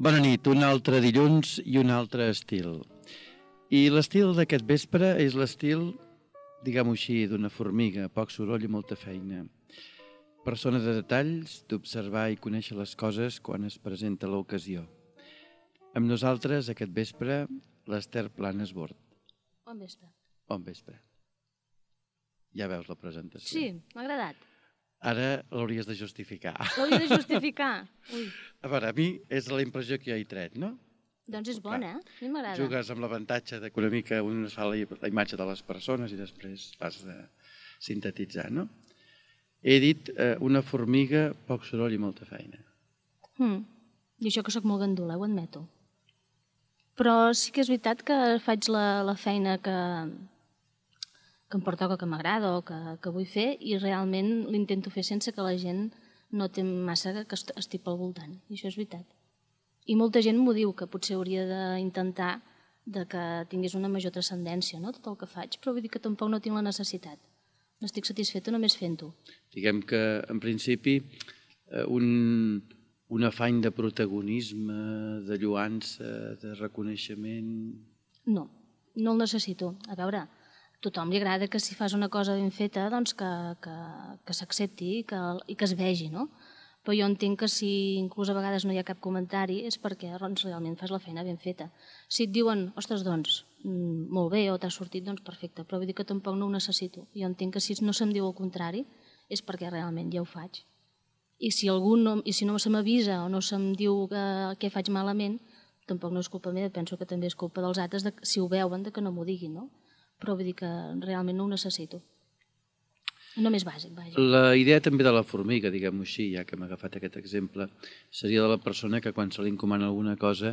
Bona nit, un altre dilluns i un altre estil. I l'estil d'aquest vespre és l'estil, diguem-ho així, d'una formiga, poc soroll i molta feina. Persona de detalls, d'observar i conèixer les coses quan es presenta l'ocasió. Amb nosaltres, aquest vespre, l'Ester Planes Bord. Bon vespre. Bon vespre. Ja veus la presentació. Sí, m'ha agradat. Ara l'hauries de justificar. L'hauria de justificar. Ui. A veure, a mi és la impressió que jo he tret, no? Doncs és bona, eh? A mi m'agrada. Jugues amb l'avantatge de que una mica un es fa la imatge de les persones i després has de sintetitzar, no? He dit una formiga, poc soroll i molta feina. I això que sóc molt gandula, ho admeto. Però sí que és veritat que faig la feina que em pertoca, que m'agrada o que vull fer, i realment l'intento fer sense que la gent noti massa que estic pel voltant. I això és veritat. I molta gent m'ho diu, que potser hauria d'intentar que tingués una major transcendència, no?, tot el que faig, però vull dir que tampoc no tinc la necessitat. N'estic satisfeta només fent-ho. Diguem que, en principi, un afany de protagonisme, de lluança, de reconeixement... No, no el necessito. A veure, a tothom li agrada que si fas una cosa ben feta, doncs que s'accepti i que es vegi, no? Però jo entenc que si inclús a vegades no hi ha cap comentari és perquè realment fas la feina ben feta. Si et diuen, ostres, doncs, molt bé, o t'ha sortit, doncs perfecte, però vull dir que tampoc no ho necessito. Jo entenc que si no se'm diu el contrari és perquè realment ja ho faig. I si no se m'avisa o no se'm diu què faig malament, tampoc no és culpa meva, penso que també és culpa dels altres, si ho veuen, que no m'ho diguin, no? Però vull dir que realment no ho necessito. Només bàsic, vaja. La idea també de la formiga, diguem-ho així, ja que hem agafat aquest exemple, seria de la persona que quan se li encomana alguna cosa,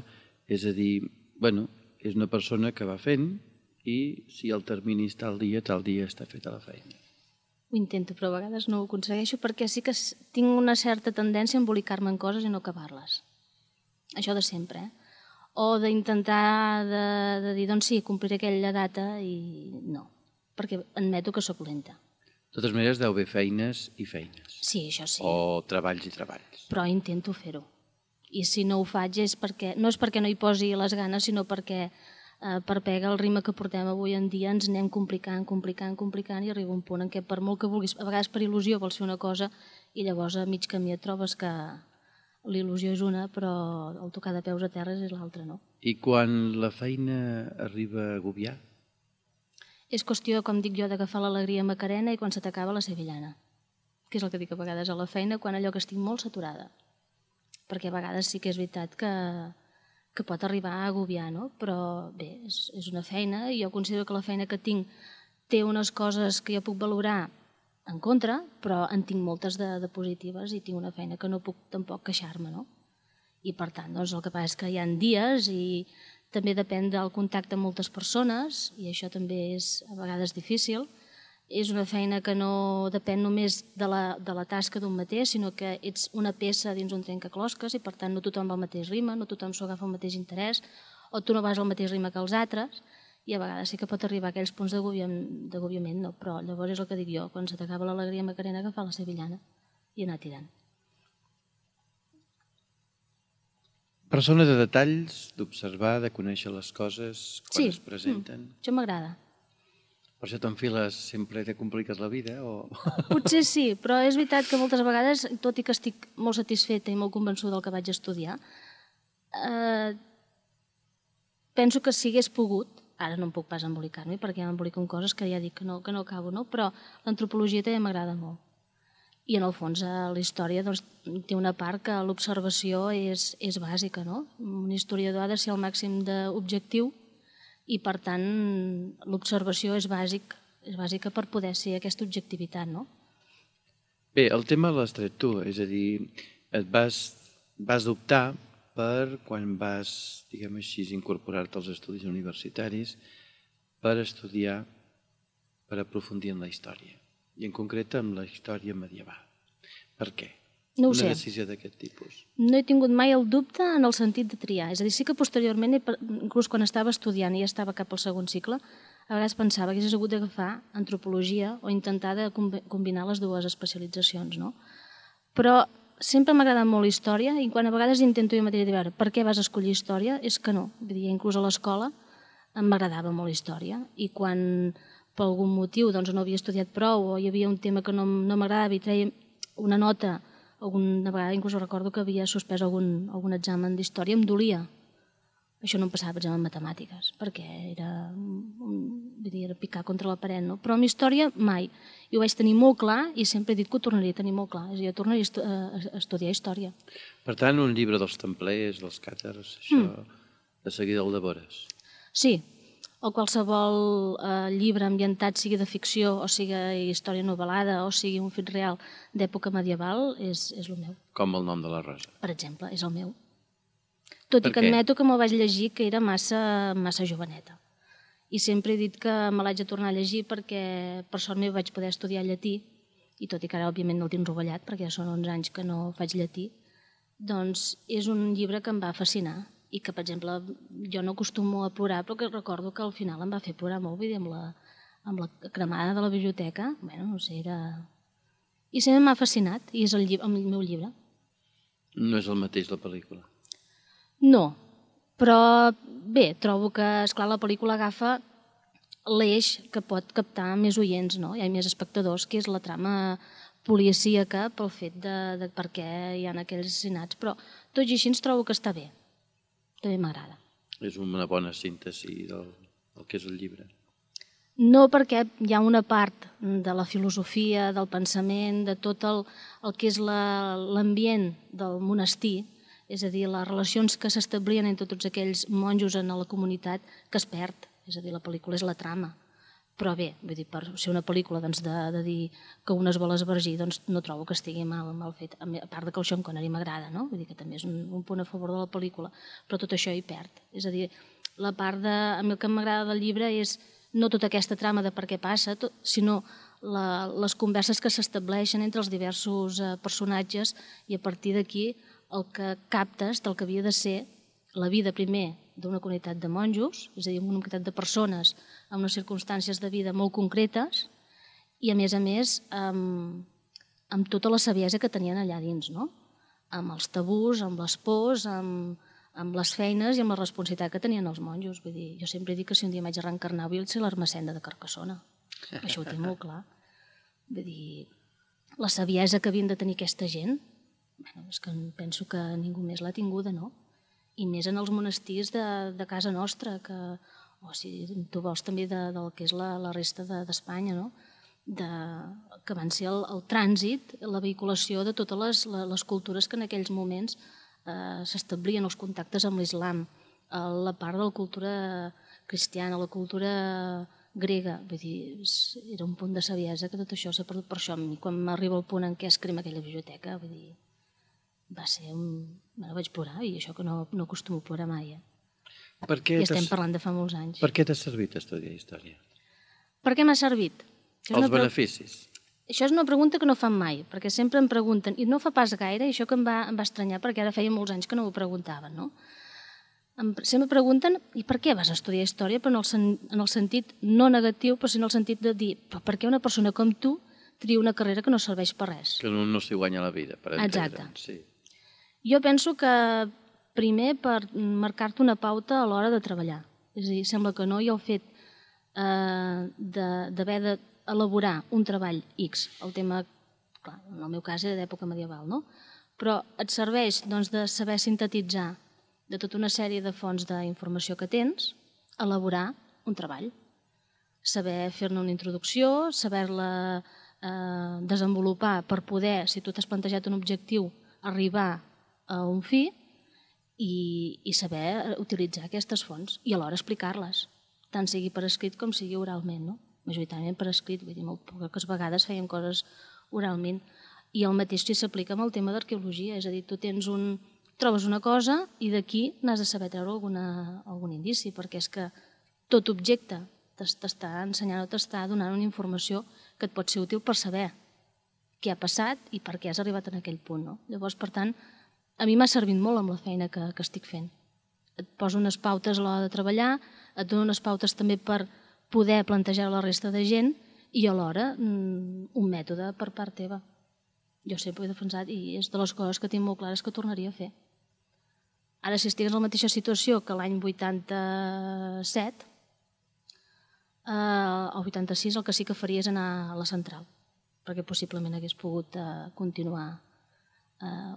és a dir, bueno, és una persona que va fent i si el termini és tal dia està feta la feina. Ho intento, però a vegades no ho aconsegueixo perquè sí que tinc una certa tendència a embolicar-me en coses i no acabar-les. Això de sempre, eh? O d'intentar de dir, doncs sí, compliré aquella data i no, perquè admeto que sóc lenta. De totes maneres, deu haver feines i feines. Sí, això sí. O treballs i treballs. Però intento fer-ho. I si no ho faig no és perquè no hi posi les ganes, sinó perquè per pegar el ritme que portem avui en dia ens anem complicant i arriba un punt en què per molt que vulguis, a vegades per il·lusió vols fer una cosa i llavors a mig camí et trobes que l'il·lusió és una, però el tocar de peus a terra és l'altra, no? I quan la feina arriba a agobiar? És qüestió, com dic jo, d'agafar l'alegria macarena i quan se t'acaba la sevillana, que és el que dic a vegades a la feina, quan allò que estic molt saturada. Perquè a vegades sí que és veritat que pot arribar a agobiar, no? Però bé, és una feina i jo considero que la feina que tinc té unes coses que jo puc valorar en contra, però en tinc moltes de positives i tinc una feina que no puc tampoc queixar-me, no? I per tant, doncs el que passa és que hi ha dies i també depèn del contacte amb moltes persones i això també és a vegades difícil. És una feina que no depèn només de la tasca d'un mateix, sinó que ets una peça dins un trencaclosques i per tant no tothom va al mateix ritme, no tothom s'ho agafa al mateix interès o tu no vas al mateix ritme que els altres i a vegades sí que pot arribar a aquells punts d'agobiament, no? Però llavors és el que dic jo, quan se t'acaba l'alegria macarena agafar la sevillana i anar tirant. Persona de detalls, d'observar, de conèixer les coses quan es presenten. Sí, això m'agrada. Per això t'enfiles sempre i te compliques la vida? Potser sí, però és veritat que moltes vegades, tot i que estic molt satisfeta i molt convençuda del que vaig estudiar, penso que si hagués pogut, ara no em puc pas embolicar-me perquè m'embolico en coses que ja dic que no acabo, no? Però l'antropologia també m'agrada molt. I en el fons la història té una part que l'observació és bàsica, no? Un historiador ha de ser el màxim d'objectiu i per tant l'observació és bàsica per poder ser aquesta objectivitat, no? Bé, el tema l'has tret tu, és a dir, et vas optar per quan vas, diguem així, incorporar-te als estudis universitaris per estudiar, per aprofundir en la història. I en concret amb la història medieval. Per què? No ho sé. Una decisió d'aquest tipus. No he tingut mai el dubte en el sentit de triar. És a dir, sí que posteriorment, inclús quan estava estudiant i ja estava cap al segon cicle, a vegades pensava que hagués hagut d'agafar antropologia o intentar de combinar les dues especialitzacions, no? Però sempre m'ha agradat molt la història i quan a vegades intento jo mateixa dir, a veure, per què vas escollir història? És que no. Vull dir, inclús a l'escola m'agradava molt la història i quan per algun motiu doncs, no havia estudiat prou o hi havia un tema que no m'agradava i treia una nota, alguna vegada inclús recordo que havia suspès algun examen d'història, em dolia. Això no em passava, per exemple, en matemàtiques, perquè era picar contra la paret, no? Però en història mai. I ho vaig tenir molt clar i sempre he dit que ho tornaria a tenir molt clar. És a dir, jo tornaria a estudiar història. Per tant, un llibre dels templers, dels càtars, això de seguida el devores. Sí, o qualsevol llibre ambientat, sigui de ficció, o sigui història novel·lada, o sigui un fet real d'època medieval, és el meu. Com el nom de la rosa. Per exemple, és el meu. Tot i que admeto que me'l vaig llegir que era massa joveneta. I sempre he dit que me l'haig de tornar a llegir perquè per sort meu vaig poder estudiar llatí, i tot i que ara òbviament no el tinc rovellat perquè ja són 11 anys que no faig llatí, doncs és un llibre que em va fascinar i que, per exemple, jo no acostumo a plorar, però que recordo que al final em va fer plorar molt, vull dir, amb la cremada de la biblioteca, bueno, no sé, era... I sempre m'ha fascinat, i és el meu llibre. No és el mateix la pel·lícula? No, però bé, trobo que, esclar, la pel·lícula agafa l'eix que pot captar més oients, no? Hi ha més espectadors, que és la trama policíaca pel fet de per què hi ha aquells assassinats, però tot i així ens trobo que està bé. També m'agrada. És una bona síntesi del que és el llibre. No, perquè hi ha una part de la filosofia, del pensament, de tot el que és l'ambient del monestir, és a dir, les relacions que s'establien entre tots aquells monjos en la comunitat, que es perd. És a dir, la pel·lícula és la trama. Però bé, vull dir, per ser una pel·lícula de dir que un es vol esvergir, doncs no trobo que estigui mal fet. A part que el Sean Connery m'agrada, no? Vull dir que també és un punt a favor de la pel·lícula, però tot això hi perd. És a dir, la part a mi el que m'agrada del llibre és no tota aquesta trama de per què passa, sinó les converses que s'estableixen entre els diversos personatges i a partir d'aquí el que captes del que havia de ser la vida primer d'una comunitat de monjos, és a dir, una comunitat de persones amb unes circumstàncies de vida molt concretes i, a més, amb tota la saviesa que tenien allà dins, no? Amb els tabús, amb les pors, amb les feines i amb la responsabilitat que tenien els monjos. Vull dir, jo sempre dic que si un dia m'haig de reencarnar vull ser l'Ermessenda de Carcassona. Això ho té molt clar. Vull dir, la saviesa que havien de tenir aquesta gent, és que penso que ningú més l'ha tinguda, no? I més en els monestirs de casa nostra, o si tu vols també del que és la resta d'Espanya, no? Que van ser el trànsit, la vehiculació de totes les cultures que en aquells moments s'establien, els contactes amb l'islam, la part de la cultura cristiana, la cultura grega, vull dir, era un punt de saviesa que tot això s'ha perdut. Per això, quan m'arriba el punt en què es crema aquella biblioteca, vull dir, va ser vaig plorar, i això que no acostumo a plorar mai. I estem parlant de fa molts anys. Per què t'ha servit estudiar història? Per què m'ha servit? Els beneficis. Això és una pregunta que no fan mai, perquè sempre em pregunten, i no fa pas gaire, i això que em va estranyar, perquè ara feia molts anys que no m'ho preguntaven, no? Sempre pregunten, i per què vas estudiar història? Però en el sentit no negatiu, però sí en el sentit de dir, però per què una persona com tu tria una carrera que no serveix per res? Que no s'hi guanya la vida, per entendre'ns. Exacte. Jo penso que primer per marcar-te una pauta a l'hora de treballar. És a dir, sembla que no, i el fet d'haver d'elaborar un treball X, el tema, clar, en el meu cas era d'època medieval, no? Però et serveix de saber sintetitzar de tota una sèrie de fonts d'informació que tens, elaborar un treball. Saber fer-ne una introducció, saber-la desenvolupar per poder, si tu t'has plantejat un objectiu, arribar a un fi i saber utilitzar aquestes fonts i alhora explicar-les, tant sigui per escrit com sigui oralment, no? Majoritàriament per escrit, vull dir, molt poques vegades fèiem coses oralment. I el mateix s'aplica amb el tema d'arqueologia, és a dir, tu trobes una cosa i d'aquí n'has de saber treure algun indici, perquè és que tot objecte t'està ensenyant o t'està donant una informació que et pot ser útil per saber què ha passat i per què has arribat en aquell punt, no? Llavors, per tant, a mi m'ha servit molt amb la feina que estic fent. Et poso unes pautes a l'hora de treballar, et dono unes pautes també per poder plantejar la resta de gent i alhora un mètode per part teva. Jo sempre ho he defensat i és de les coses que tinc molt clares que tornaria a fer. Ara, si estigués en la mateixa situació que l'any 87, o 86, el que sí que faria és anar a la central, perquè possiblement hagués pogut continuar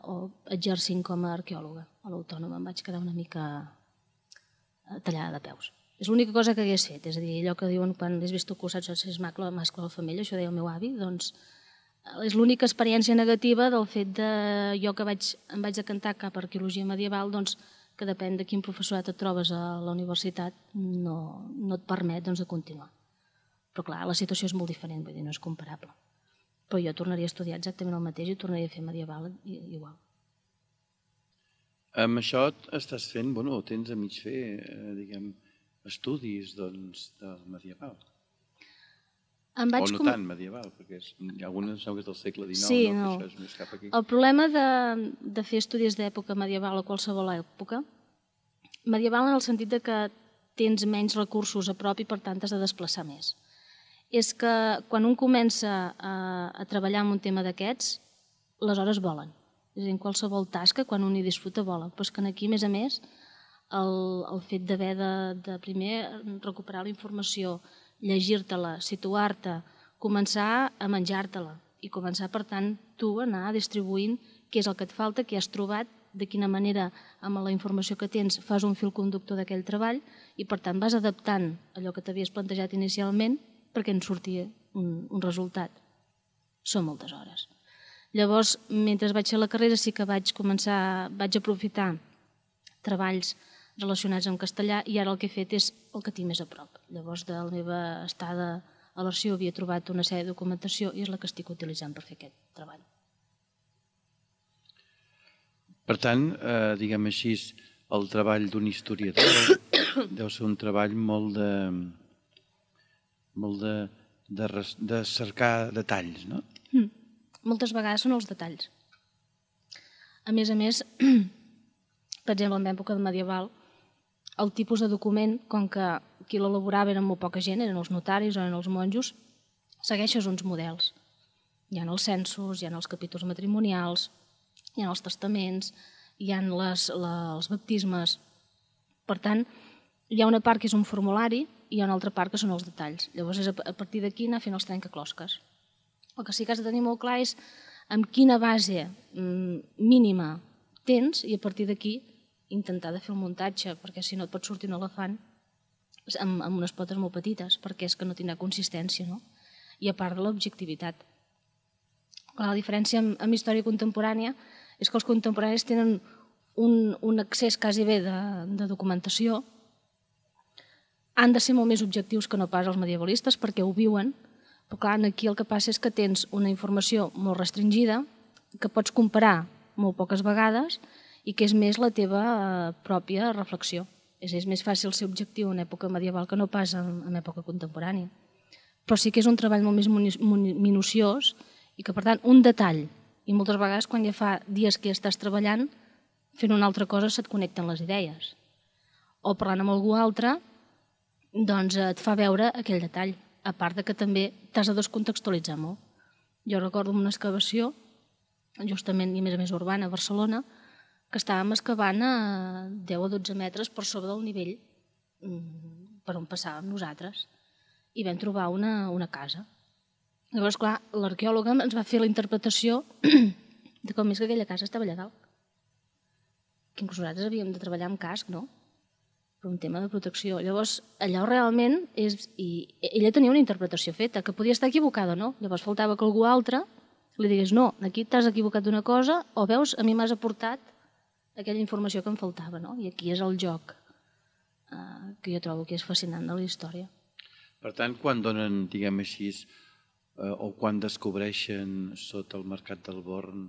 o exercint com a arqueòloga. A l'Autònoma em vaig quedar una mica tallada de peus. És l'única cosa que hagués fet, és a dir, allò que diuen quan has vist tu cursat, és mascle o la femella, això deia el meu avi, doncs és l'única experiència negativa del fet de jo que em vaig decantar cap a arqueologia medieval, doncs que depèn de quin professorat et trobes a la universitat no et permet de continuar. Però clar, la situació és molt diferent, vull dir, no és comparable. Però jo tornaria a estudiar exactament el mateix i tornaria a fer medieval igual. Amb això estàs fent, bueno, tens a mig fer, diguem, estudis del medieval. O no tant medieval, perquè algunes que és del segle XIX, sí, no, que això és més cap aquí. El problema de fer estudis d'època medieval o qualsevol època, medieval en el sentit de que tens menys recursos a prop i per tant has de desplaçar més. És que quan un comença a treballar en un tema d'aquests, les hores volen. És a dir, en qualsevol tasca, quan un hi disfruta, vola. Però és que aquí, a més, el fet d'haver de primer recuperar la informació, llegir-te-la, situar-te, començar a menjar-te-la i començar, per tant, tu anar distribuint què és el que et falta, què has trobat, de quina manera, amb la informació que tens, fas un fil conductor d'aquell treball i, per tant, vas adaptant allò que t'havies plantejat inicialment perquè en sortia un resultat. Són moltes hores. Llavors, mentre vaig fer la carrera, sí que vaig aprofitar treballs relacionats amb castellà i ara el que he fet és el que tinc més a prop. Llavors, de la meva estada a l'Arxiu havia trobat una sèrie de documentació i és la que estic utilitzant per fer aquest treball. Per tant, diguem així, el treball d'un historiador deu ser un treball molt de cercar detalls, no? Moltes vegades són els detalls. A més, per exemple, en època medieval, el tipus de document, com que qui l'elaborava eren molt poca gent, eren els notaris o eren els monjos, segueixes uns models. Hi ha els censos, hi ha els capítols matrimonials, hi ha els testaments, hi ha els baptismes. Per tant, hi ha una part que és un formulari i hi ha una altra part que són els detalls. Llavors és a partir d'aquí anar fent els trencaclosques. El que sí que has de tenir molt clar és amb quina base mínima tens i a partir d'aquí intentar de fer el muntatge, perquè si no et pot sortir un elefant amb unes potes molt petites, perquè és que no tindrà consistència, no? I a part de l'objectivitat. La diferència amb història contemporània és que els contemporanis tenen un accés quasi bé de documentació, han de ser molt més objectius que no pas els medievalistes perquè ho viuen, però clar, aquí el que passa és que tens una informació molt restringida, que pots comparar molt poques vegades i que és més la teva pròpia reflexió. És més fàcil ser objectiu en època medieval que no pas en època contemporània. Però sí que és un treball molt més minuciós i que, per tant, un detall, i moltes vegades quan ja fa dies que estàs treballant, fent una altra cosa se't connecten les idees. O parlant amb algú altre, doncs et fa veure aquell detall, a part que també t'has de descontextualitzar molt. Jo recordo una excavació, justament i a més urbana, a Barcelona, que estàvem excavant a 10 o 12 metres per sobre del nivell per on passàvem nosaltres i vam trobar una casa. Llavors, clar, l'arqueòloga ens va fer la interpretació de com és que aquella casa estava allà dalt. Que inclús nosaltres havíem de treballar amb casc, no? Per un tema de protecció. Llavors, allò realment és... I ella tenia una interpretació feta, que podia estar equivocada o no. Llavors faltava que algú altre li digués no, aquí t'has equivocat d'una cosa o veus, a mi m'has aportat aquella informació que em faltava, no? I aquí és el joc que jo trobo que és fascinant de la història. Per tant, quan donen, diguem així, o quan descobreixen sota el Mercat del Born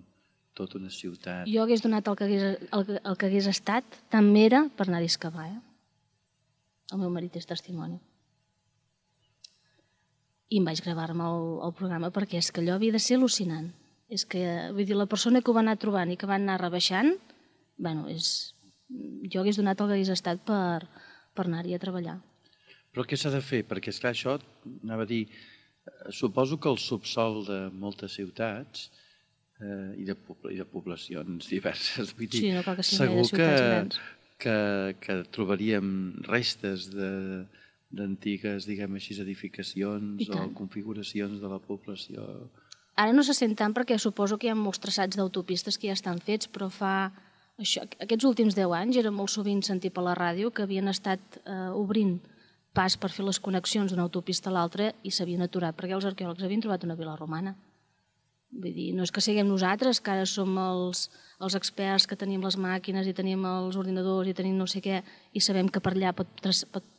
tota una ciutat... Jo hagués donat el que hagués estat, tant m'era per anar a excavar. El meu marit és testimoni. I em vaig gravar-me el programa perquè és que allò havia de ser al·lucinant. És que, vull dir, la persona que ho va anar trobant i que va anar rebaixant, bueno, jo hagués donat el que hagués estat per anar-hi a treballar. Però què s'ha de fer? Perquè, esclar, això, anava a dir, suposo que el subsol de moltes ciutats i de poblacions diverses. Vull dir, Sí, no cal que siguin gaire segur ciutats grans. que trobaríem restes d'antigues, diguem així, edificacions o configuracions de la població. Ara no se sent tant perquè suposo que hi ha molts traçats d'autopistes que ja estan fets, però aquests últims 10 anys era molt sovint sentir per la ràdio que havien estat obrint pas per fer les connexions d'una autopista a l'altra i s'havien aturat perquè els arqueòlegs havien trobat una vila romana. Vull dir, no és que siguem nosaltres, que ara som els experts, que tenim les màquines i tenim els ordinadors i tenim no sé què, i sabem que per allà pot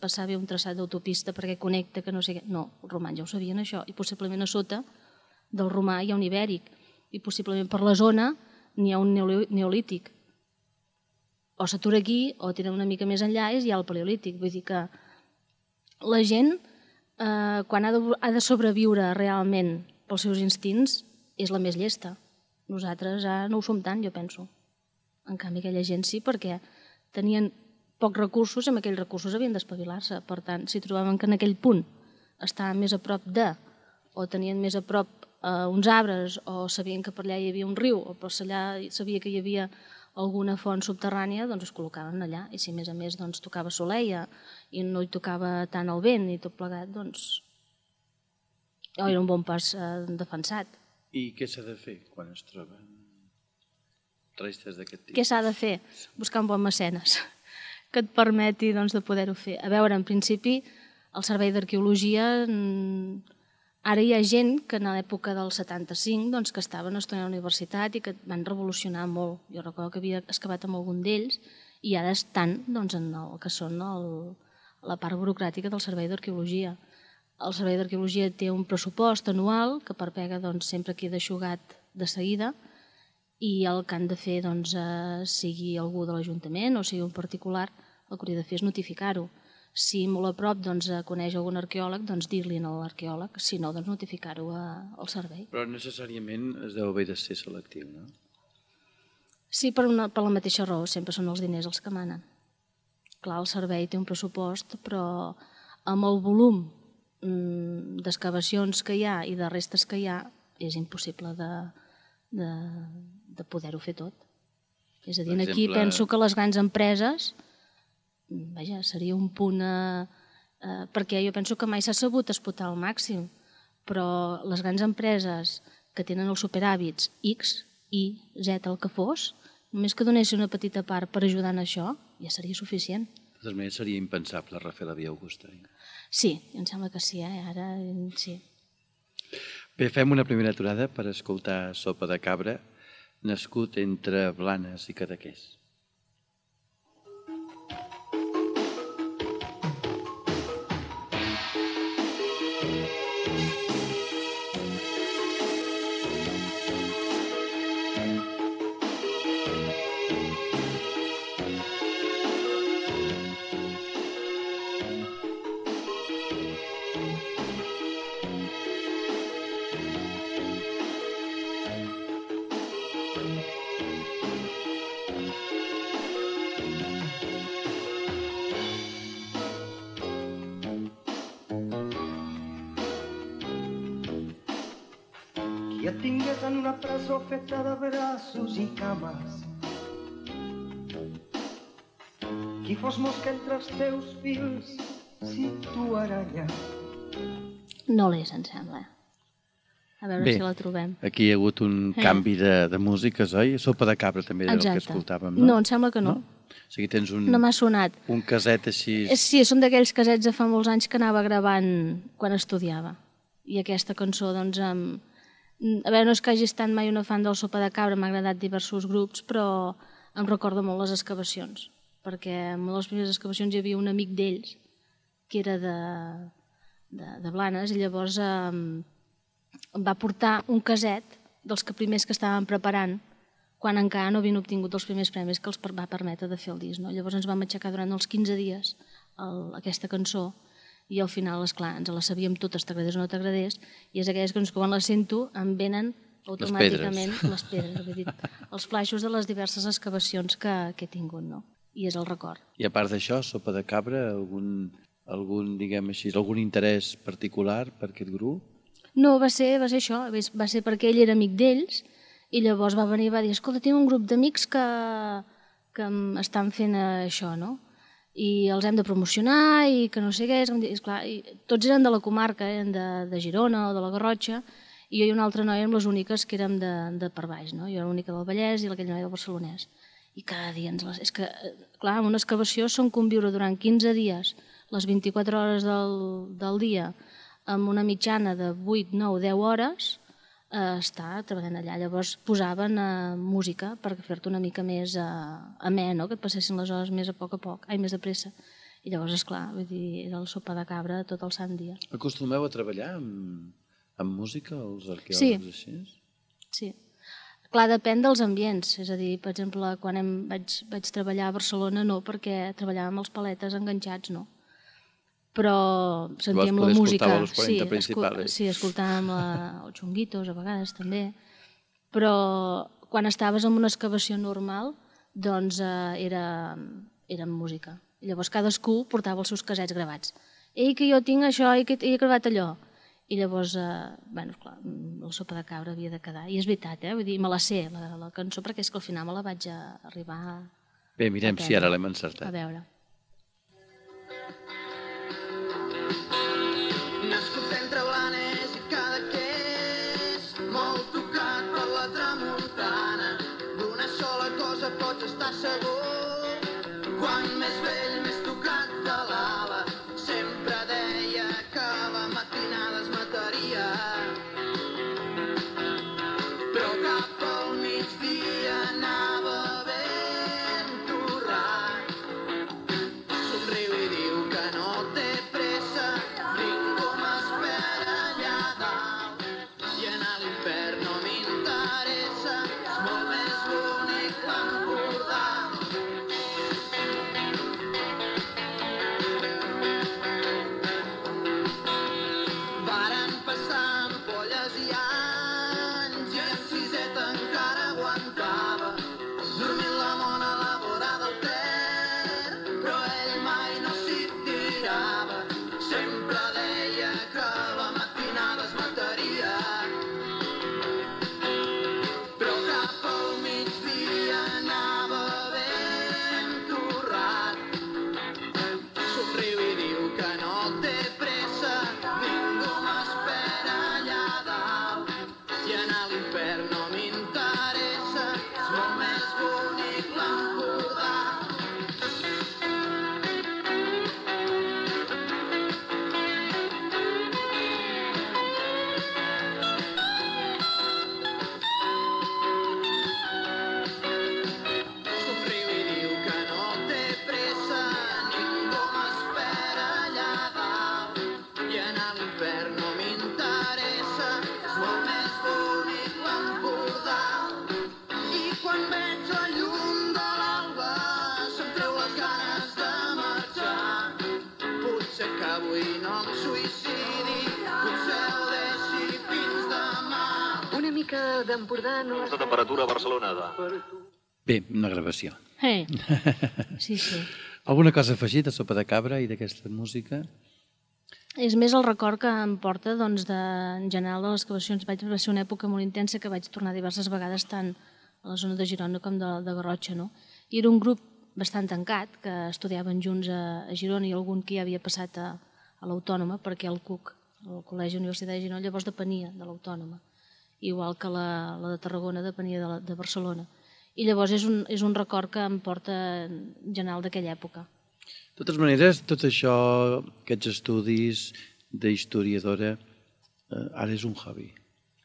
passar bé un traçat d'autopista perquè connecta, que no sé què. No, els romans ja ho sabien això, i possiblement a sota del romà hi ha un ibèric, i possiblement per la zona n'hi ha un neolític. O s'atura aquí, o tira una mica més enllà i hi ha el paleolític. Vull dir que la gent, quan ha de sobreviure realment pels seus instints, és la més llesta. Nosaltres no ho som tant, jo penso. En canvi, aquella gent sí, perquè tenien pocs recursos i amb aquells recursos havien d'espavilar-se. Per tant, si trobaven que en aquell punt estaven més a prop o tenien més a prop uns arbres, o sabien que per allà hi havia un riu, o per allà sabia que hi havia alguna font subterrània, doncs es col·locaven allà. I si a més doncs, tocava soleia i no hi tocava tant el vent i tot plegat, doncs era un bon pas defensat. I què s'ha de fer quan es troben restes d'aquest tipus? Què s'ha de fer? Buscar un bon mecenes que et permeti doncs, de poder-ho fer. A veure, en principi, el Servei d'Arqueologia, ara hi ha gent que en l'època del 75 doncs, que estaven estudiant a la universitat i que van revolucionar molt. Jo recordo que havia excavat amb algun d'ells i ara estan doncs, en el que són la part burocràtica del Servei d'Arqueologia. El Servei d'Arqueologia té un pressupost anual que per pega doncs, sempre queda eixugat de seguida i el que han de fer doncs, sigui algú de l'Ajuntament o sigui un particular, el que hauria de fer és notificar-ho. Si molt a prop doncs, coneix algun arqueòleg, doncs dir-li a l'arqueòleg, si no, doncs notificar-ho al servei. Però necessàriament es deu haver de ser selectiu, no? Sí, per la mateixa raó, sempre són els diners els que manen. Clar, el servei té un pressupost, però amb el volum d'excavacions que hi ha i de restes que hi ha, és impossible de poder-ho fer tot. És a dir, aquí penso que les grans empreses, vaja, seria un punt... perquè jo penso que mai s'ha sabut explotar al màxim, però les grans empreses que tenen els superhàbits X, Y, Z, el que fos, només que donessin una petita part per ajudar en això, ja seria suficient. De totes maneres, seria impensable refer la Via Augusta. Sí, em sembla que sí, ara sí. Bé, fem una primera aturada per escoltar Sopa de Cabra, nascut entre Blanes i Cadaqués. Qui et tingués en una presó feta de braços i cames, qui fos mosca entre els teus fils, si tu aranya. No l'és, em sembla. A veure si la trobem. Aquí hi ha hagut un canvi de músiques, oi? Sopa de Cabra també era el que escoltàvem, no? No, em sembla que no. O sigui, tens no m'ha sonat. Un caset així... Sí, són d'aquells casets de fa molts anys que anava gravant quan estudiava. I aquesta cançó, doncs, a veure, no és que hagi estat mai una fan del Sopa de Cabra, m'ha agradat diversos grups, però em recorda molt les excavacions, perquè en una de les primeres excavacions hi havia un amic d'ells, que era de Blanes, i llavors em va portar un caset dels primers que estaven preparant quan encara no havien obtingut els primers premis que els va permetre de fer el disc. Llavors ens vam aixecar durant els 15 dies aquesta cançó i al final, esclar, ens la sabíem totes, t'agradés o no t'agradés, i és aquelles cançons que quan les sento em venen automàticament les pedres, vull dir, els flaixos de les diverses excavacions que he tingut, no? I és el record. I a part d'això, Sopa de Cabra, algun, diguem així, algun interès particular per aquest grup? No, va ser això, va ser perquè ell era amic d'ells I llavors va venir i va dir, escolta, tinc un grup d'amics que estan fent això, no? I els hem de promocionar i que no sé què, esclar, i tots eren de la comarca, eren de Girona o de la Garrotxa, i jo i una altra noia érem les úniques que érem de per baix, no? Jo era l'única del Vallès i aquella noia del Barcelonès. I cada dia és que, clar, en una excavació són conviure durant 15 dies, les 24 hores del dia, amb una mitjana de 8, 9, 10 hores, estar treballant allà. Llavors posaven música per fer-te una mica més amè, no? Que et passessin les hores més a poc, més de pressa. I llavors, esclar, vull dir, era el sopa de cabra tot el sant dia. Acostumeu a treballar amb música, els arqueòlegs així? Sí. Clar, depèn dels ambients. És a dir, per exemple, quan vaig treballar a Barcelona no, perquè treballàvem els paletes enganxats, no. Però sentíem la música. Sí, escoltàvem els xunguitos a vegades també. Però quan estaves en una excavació normal, doncs era música. I llavors cadascú portava els seus casets gravats. Ei, que jo tinc això, i que he gravat allò. I llavors, bueno, clar, la sopa de cabra havia de quedar. I és veritat, vull dir, me la sé, la cançó, perquè és que al final me la vaig arribar a... Bé, mirem si ara l'hem encertat. A veure. Nascut entre Blanes i Cadaqués, molt tocat per la tramuntana, d'una sola cosa pots estar segur, quan més vell, més tocat de l'ala, sempre deia que la matinada es mataria, però cap al migdia anava ben torrat, somriu i diu que no té pressa, ningú m'espera allà dalt, i anar a l'infern no m'interessa, és molt més bonic l'Empordà. Varen passar ampolles i anys, i en siseta encara aguantava, dormint la mona a la vora del Ter, però ell mai no s'hi tirava, sempre deia que la matinada es mataria, però cap al migdia anava ben torrat, somriu i diu que no té pressa, ningú m'espera allà dalt, i anar a l'infern no m'interessa, és molt més bonic l'Empordà. Somriu i diu que no té pressa, ningú m'espera allà dalt, i anar a l'infern no m'interessa, és molt més bonic l'Empordà. I quan veig la llum de l'alba se'm treu les ganes de marxar, potser que avui no em suïcidi, potser ho deixi fins demà. Una mica d'Empordà no... La temperatura a Barcelona de... Bé, una gravació. Sí, sí. Alguna cosa afegit a Sopa de Cabra i d'aquesta música? És més el record que em porta, doncs, en general de les excavacions. Va ser una època molt intensa que vaig tornar diverses vegades tant a la zona de Girona com de Garrotxa, no? I era un grup bastant tancat, que estudiaven junts a Girona, i algun que ja havia passat a l'Autònoma, perquè el CUC, el Col·legi Universitat de Girona, llavors depenia de l'Autònoma, igual que la de Tarragona depenia de Barcelona. I llavors és un record que em porta en general d'aquella època. De totes maneres, tot això, aquests estudis d'historiadora, ara és un hobby.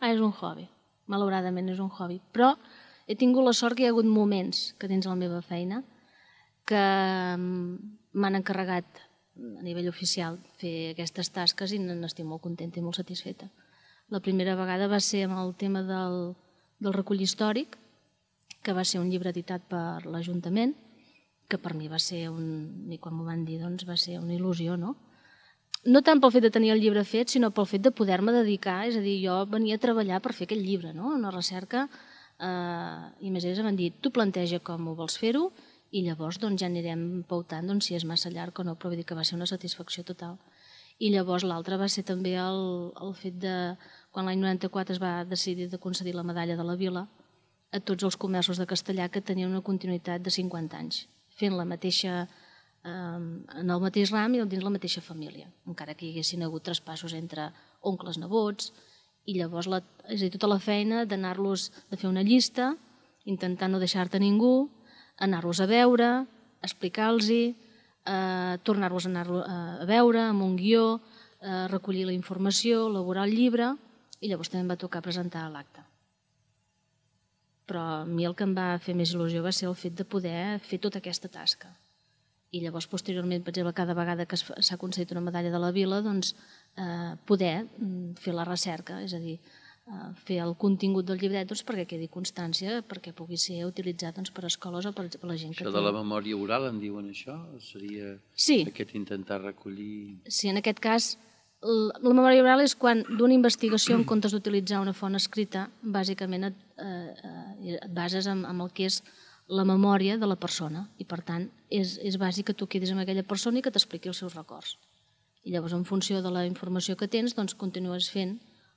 Ara és un hobby, malauradament és un hobby. Però he tingut la sort que hi ha hagut moments que dins la meva feina que m'han encarregat a nivell oficial fer aquestes tasques i n'estic molt contenta i molt satisfeta. La primera vegada va ser amb el tema del recull històric, que va ser un llibre editat per l'Ajuntament, que per mi va ser, i quan m'ho van dir, doncs va ser una il·lusió, no? No tant pel fet de tenir el llibre fet, sinó pel fet de poder-me dedicar, és a dir, jo venia a treballar per fer aquest llibre, no? Una recerca, i més ells m'han dit, tu planteja com ho vols fer-ho, i llavors doncs, ja anirem pautant si és massa llarg o no, però vull dir que va ser una satisfacció total. I llavors l'altre va ser també el fet de, quan l'any 94 es va decidir de concedir la medalla de la Vila, a tots els comerços de castellà que tenien una continuïtat de 50 anys, fent la mateixa, en el mateix ram i dins la mateixa família, encara que hi haguessin hagut traspassos entre oncles, nebots, i llavors és a dir, tota la feina d'anar-los, de fer una llista, intentar no deixar-te ningú, anar-los a veure, explicar-los-hi, tornar-los a anar a veure amb un guió, recollir la informació, elaborar el llibre, i llavors també em va tocar presentar l'acte. Però a mi el que em va fer més il·lusió va ser el fet de poder fer tota aquesta tasca. I llavors, posteriorment, per exemple, cada vegada que s'ha concedit una medalla de la Vila, doncs, poder fer la recerca, és a dir, fer el contingut del llibret perquè quedi constància, perquè pugui ser utilitzat per escoles o per la gent que té. Això de la memòria oral, en diuen això? Seria aquest intentar recollir... Sí, en aquest cas, la memòria oral és quan d'una investigació, en comptes d'utilitzar una font escrita, bàsicament et bases en el que és la memòria de la persona i, per tant, és bàsic que tu quedis amb aquella persona i que t'expliqui els seus records. I llavors, en funció de la informació que tens, doncs continues fent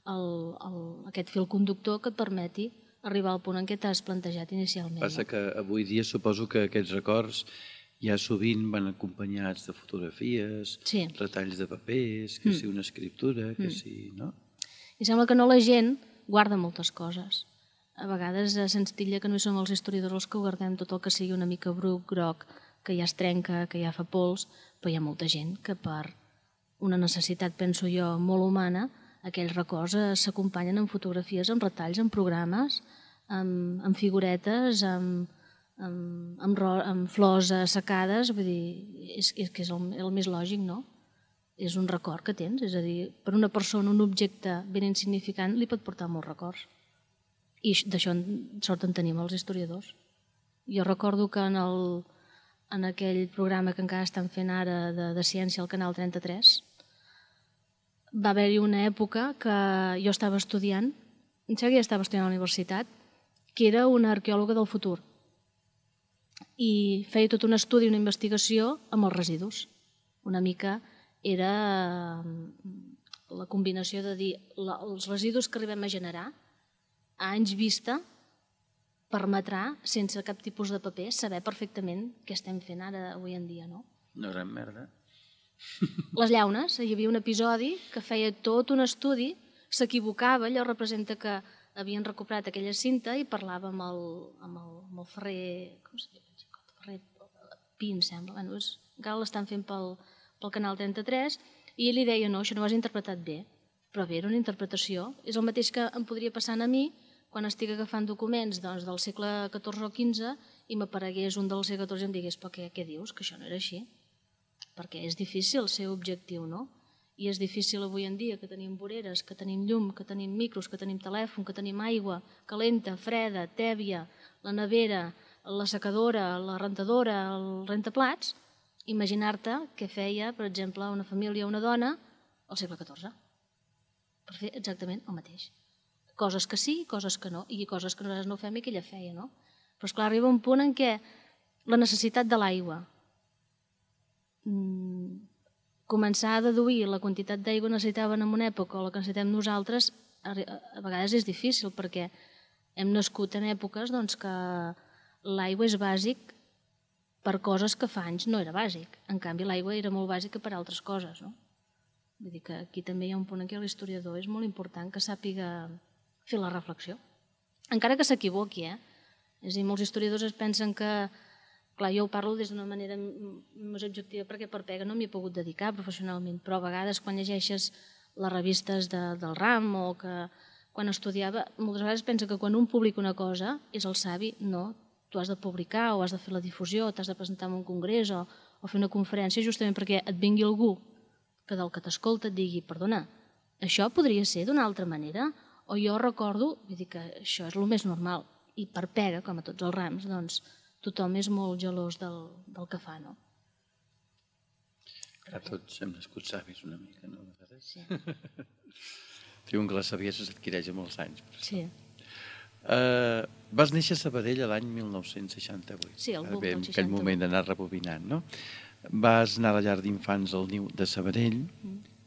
aquest fil conductor que et permeti arribar al punt en què t'has plantejat inicialment. Passa que avui dia suposo que aquests records ja sovint van acompanyats de fotografies, retalls de papers, que si una escriptura, que si... no? I sembla que no la gent guarda moltes coses. A vegades se'ns titlla que no som els historiadors els que guardem tot el que sigui una mica bruc, groc, que ja es trenca, que ja fa pols, però hi ha molta gent que per una necessitat, penso jo, molt humana, aquells records s'acompanyen amb fotografies, amb retalls, amb programes, amb figuretes, amb flors assecades, vull dir, és que és el més lògic, no? És un record que tens, és a dir, per una persona un objecte ben insignificant li pot portar molts records. I d'això sort en tenim els historiadors. Jo recordo que en aquell programa que encara estan fent ara de ciència al Canal 33, va haver-hi una època que jo estava estudiant, em sembla que ja estava estudiant a la universitat, que era una arqueòloga del futur. I feia tot un estudi, una investigació amb els residus. Una mica era la combinació de dir els residus que arribem a generar a anys vista permetrà, sense cap tipus de paper, saber perfectament què estem fent ara avui en dia, no? Una gran merda. Les llaunes, hi havia un episodi que feia tot un estudi, s'equivocava, allò representa que havien recuperat aquella cinta i parlava amb el ferrer, com es diu? Ferrer Pi, em sembla, encara l'estan fent pel Canal 33, i ell li deia, no, això no ho has interpretat bé, però bé, era una interpretació, és el mateix que em podria passar a mi quan estic agafant documents del segle XIV o XV i m'aparegués un del segle XIV i em digués, però què dius, que això no era així? Perquè és difícil ser objectiu, no? I és difícil avui en dia que tenim voreres, que tenim llum, que tenim micros, que tenim telèfon, que tenim aigua calenta, freda, tèbia, la nevera, la secadora, la rentadora, el rentaplats, imaginar-te què feia, per exemple, una família o una dona al segle XIV. Per fer exactament el mateix. Coses que sí, coses que no, i coses que nosaltres no fem i que ella feia, no? Però, esclar, arriba un punt en què la necessitat de l'aigua, començar a deduir la quantitat d'aigua que necessitaven en una època o la que necessitem nosaltres, a vegades és difícil, perquè hem nascut en èpoques que l'aigua és bàsic per coses que fa anys no era bàsic. En canvi, l'aigua era molt bàsica per altres coses, no? Vull dir que aquí també hi ha un punt en què l'historiador és molt important que sàpiga fer la reflexió. Encara que s'equivoqui, És a dir, molts historiadors es pensen que, clar, jo ho parlo des d'una manera més objectiva perquè per pega no m'hi he pogut dedicar professionalment, però a vegades quan llegeixes les revistes del RAM o que quan estudiava, moltes vegades pensa que quan un publica una cosa és el savi, no, tu has de publicar o has de fer la difusió, t'has de presentar en un congrés o fer una conferència justament perquè et vingui algú que del que t'escolta et digui, perdona, això podria ser d'una altra manera? O jo recordo, vull dir que això és el més normal, i per pega, com a tots els rams, doncs tothom és molt gelós del que fa, no? A tots hem nascut savis una mica, no? Sí. Diuen que la saviesa s'adquireix amb els anys. Sí. Vas néixer a Sabadell l'any 1968. Sí, el boom del 68. En aquell moment d'anar rebobinant, no? Vas anar a la llar d'infants al Niu de Sabadell,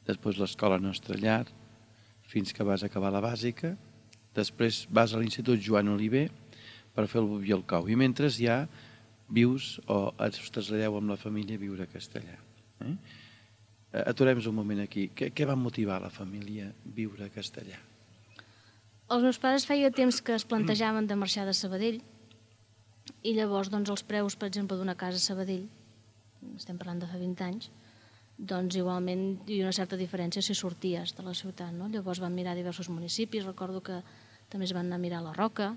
després l'escola Nostra Llar, fins que vas acabar la bàsica, després vas a l'Institut Joan Oliver, per fer el boví i el cou. I mentre ja vius o us traslladeu amb la família a viure a Castellà. Aturem-nos un moment aquí. Què va motivar la família a viure a Castellà? Els meus pares feia temps que es plantejaven de marxar de Sabadell i llavors doncs, els preus, per exemple, d'una casa a Sabadell, estem parlant de fa 20 anys, doncs igualment hi havia una certa diferència si sorties de la ciutat. No? Llavors van mirar diversos municipis, recordo que també es van anar a mirar a la Roca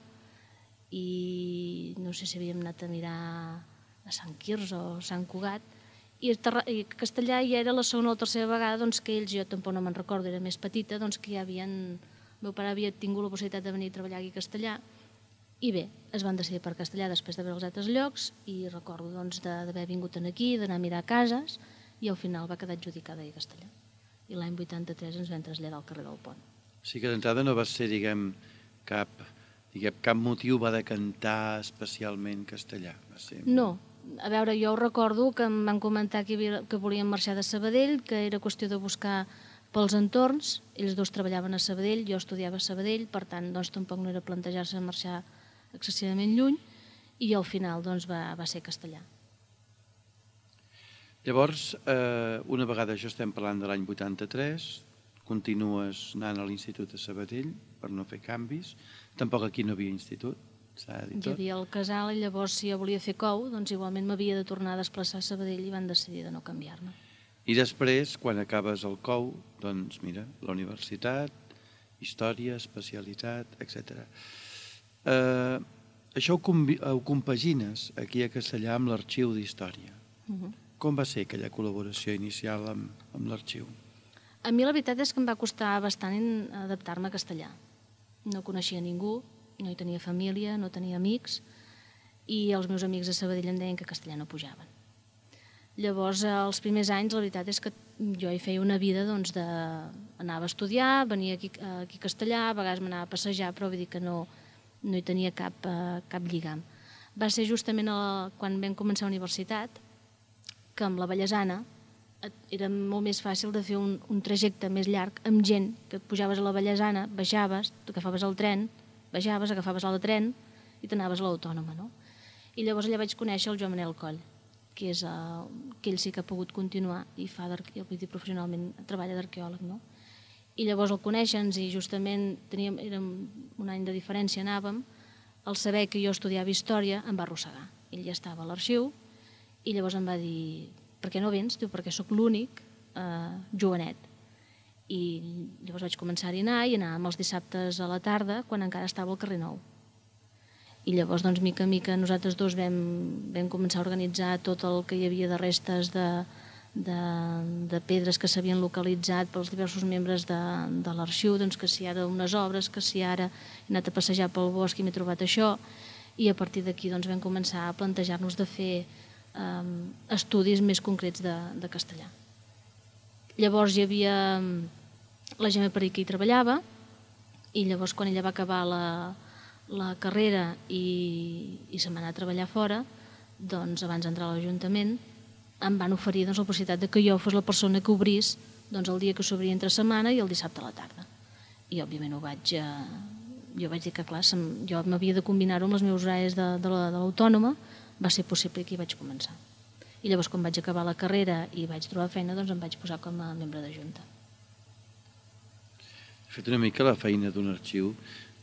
i no sé si havíem anat a mirar a Sant Quirze o Sant Cugat, i Castellà ja era la segona o la tercera vegada doncs, que ells, jo tampoc no me'n recordo, era més petita, doncs, que ja havien... El meu pare havia tingut la possibilitat de venir a treballar aquí a Castellà i bé, es van decidir per Castellà després de veure els altres llocs i recordo doncs, d'haver vingut aquí, d'anar a mirar cases i al final va quedar adjudicada a Castellà. I l'any 83 ens vam traslladar al carrer del Pont. O sigui que d'entrada no va ser, cap motiu va decantar especialment Castellà? Va ser... No. A veure, jo recordo que em van comentar que volien marxar de Sabadell, que era qüestió de buscar pels entorns. Ells dos treballaven a Sabadell, jo estudiava a Sabadell, per tant, doncs, tampoc no era plantejar-se marxar excessivament lluny, i al final doncs, va ser Castellà. Llavors, una vegada això estem parlant de l'any 83, continues anant a l'institut de Sabadell per no fer canvis. Tampoc aquí no havia institut, s'ha de dir tot. Hi havia el casal i llavors si jo volia fer cou, doncs igualment m'havia de tornar a desplaçar a Sabadell i van decidir de no canviar-me. I després, quan acabes el cou, doncs mira, la universitat, història, especialitat, etc. Això ho compagines aquí a Castellà amb l'arxiu d'història. Com va ser aquella col·laboració inicial amb l'arxiu? A mi la veritat és que em va costar bastant adaptar-me a Castellà. No coneixia ningú, no hi tenia família, no tenia amics, i els meus amics de Sabadell em deien que a Castellà no pujaven. Llavors, els primers anys, la veritat és que jo hi feia una vida, doncs, anava a estudiar, venia aquí a Castellà, a vegades m'anava a passejar, però vull dir que no hi tenia cap lligam. Va ser justament quan vam començar a la universitat, que amb la Vallesana era molt més fàcil de fer un trajecte més llarg amb gent, que pujaves a la Vallesana, baixaves, agafaves el tren, baixaves, agafaves l'altre tren i t'anaves a l'Autònoma, no? I llavors allà vaig conèixer el Joan Manel Coll, que ell sí que ha pogut continuar i professionalment treballa d'arqueòleg, no? I llavors el conèixer-nos i justament era un any de diferència, anàvem, al saber que jo estudiava història em va arrossegar. Ell ja estava a l'arxiu i llavors em va dir, per què no vens? Diu, perquè sóc l'únic jovenet. I llavors vaig començar-hi a anar i anàvem els dissabtes a la tarda quan encara estava al carrer Nou. I llavors, doncs, mica en mica, nosaltres dos vam començar a organitzar tot el que hi havia de restes de pedres que s'havien localitzat pels diversos membres de l'arxiu, doncs que si ara unes obres, que si ara he anat a passejar pel bosc i m'he trobat això, i a partir d'aquí doncs, vam començar a plantejar-nos de fer estudis més concrets de castellà. Llavors hi havia la Gemma Peric que hi treballava, i llavors quan ella va acabar la carrera i se'n va anar a treballar fora, doncs abans d'entrar a l'Ajuntament em van oferir la possibilitat que jo fos la persona que obrís el dia que s'obria entre setmana i el dissabte a la tarda. I òbviament jo vaig dir que clar, jo m'havia de combinar-ho amb els meus horaris de l'Autònoma, va ser possible i aquí vaig començar. I llavors quan vaig acabar la carrera i vaig trobar feina, doncs em vaig posar com a membre de Junta. He fet una mica la feina d'un arxiu,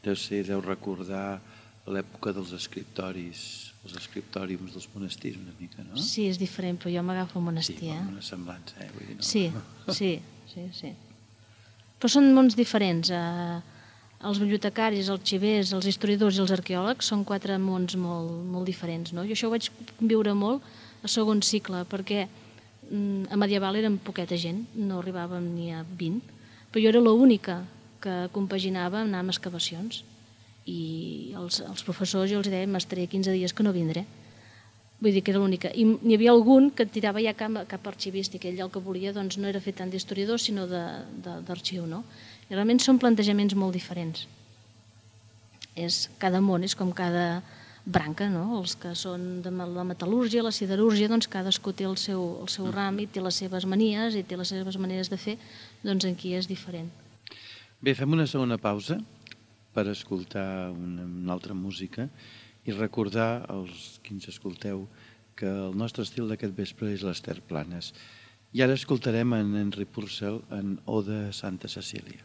deu recordar l'època dels escriptoris, els escriptòriums dels monestirs una mica, no? Sí, és diferent, però jo m'agafo al monestir. Sí, com una semblança, vull dir, no? Sí. Però són mons diferents. Els bibliotecaris, els arxivers, els historiadors i els arqueòlegs són 4 mons molt diferents, no? Jo això ho vaig viure molt a segon cicle, perquè a medieval érem poqueta gent, no arribàvem ni a 20, però jo era l'única que compaginava anar amb excavacions i els professors jo els deia m'estaré 15 dies que no vindré. Vull dir que era l'única. I n'hi havia algun que tirava ja cap arxivístic, ell el que volia doncs, no era fer tant d'historiador sinó d'arxiu, no? I realment són plantejaments molt diferents. Cada món és com cada branca, no? Els que són de la metal·lúrgia, la siderúrgia, doncs cadascú té el seu ram i té les seves manies i té les seves maneres de fer, doncs aquí és diferent. Bé, fem una segona pausa per escoltar una altra música i recordar als qui ens escolteu que el nostre estil d'aquest vespre és l'Ester Planes. I ara escoltarem en Henry Purcell en Oda a Santa Cecília.